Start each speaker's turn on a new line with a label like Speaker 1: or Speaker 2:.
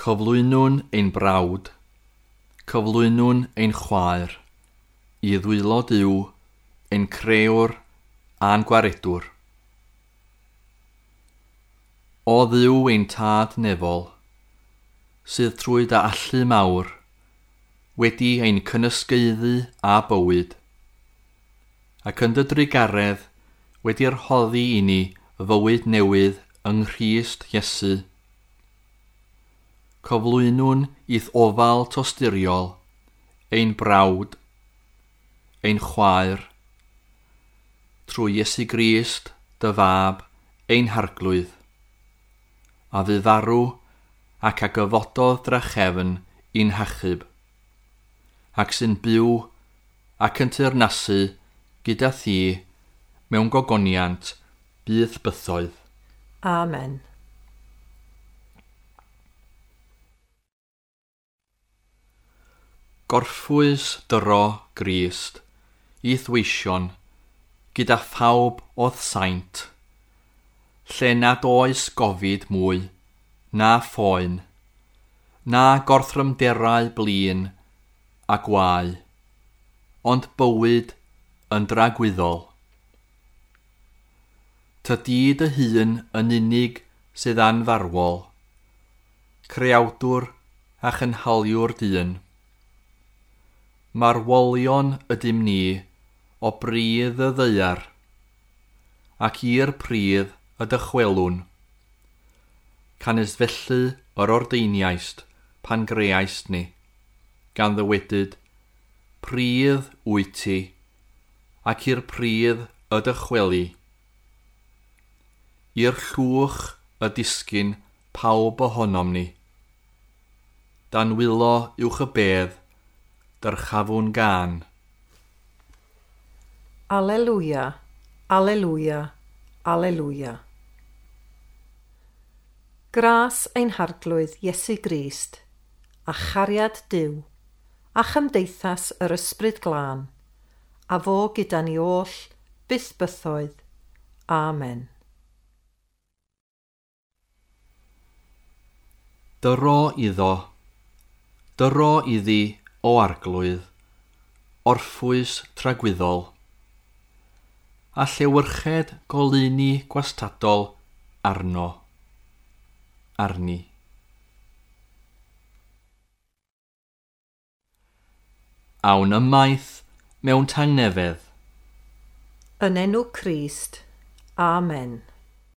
Speaker 1: Cyflwynwn ein brawd, cyflwynwn ein chwaer, i ddwylo Duw, ein crëwr a'n gwaredwr. O Dduw ein tad nefol, sydd trwy dy allu mawr, wedi ein cynysgaeddu â bywyd, ac yn dy drugaredd wedi rhoddi i ni fywyd newydd yng Nghrist Iesu. Cyflwynwn i'th ofal tosturiol, ein brawd, ein chwaer, trwy Iesu Grist, dy fab, ein harglwydd, a fu farw ac a gyfododd drachefn i'n hachub, ac sy'n byw ac yn teyrnasu gyda thi mewn gogoniant byth bythoedd.
Speaker 2: Amen.
Speaker 1: Gorffwys dyro Grist i'th weision gyda phawb o'th saint, lle nad oes gofid mwy, na phoen, na gorthrymderau blin a gwae, ond bywyd yn dragwyddol. Tydi dy hun yn unig sydd anfarwol, creawdwr a chynhaliwr dyn. Marwolion ydym ni o bridd y ddaear, ac i'r pridd y dychwelwn. Canys felly yr ordeiniaist pan greaist ni, gan ddywedyd, pridd wyt ti, ac i'r pridd y dychweli. I'r llwch y disgyn pawb ohonom ni. Dan wylo uwch y bedd, dyrchafwn gân.
Speaker 2: Alleluia, alleluia, alleluia. Gras ein harglwydd Iesu Grist, a chariad Duw, a chymdeithas yr Ysbryd Glân, a fo gyda ni oll byth bythoedd. Amen.
Speaker 1: Dyro iddo, dyro iddi o arglwydd, orffwys tragwyddol, a llewyrched goleuni gwastadol arno, arni. Awn ymaith mewn tangnefedd.
Speaker 2: Yn enw Crist. Amen.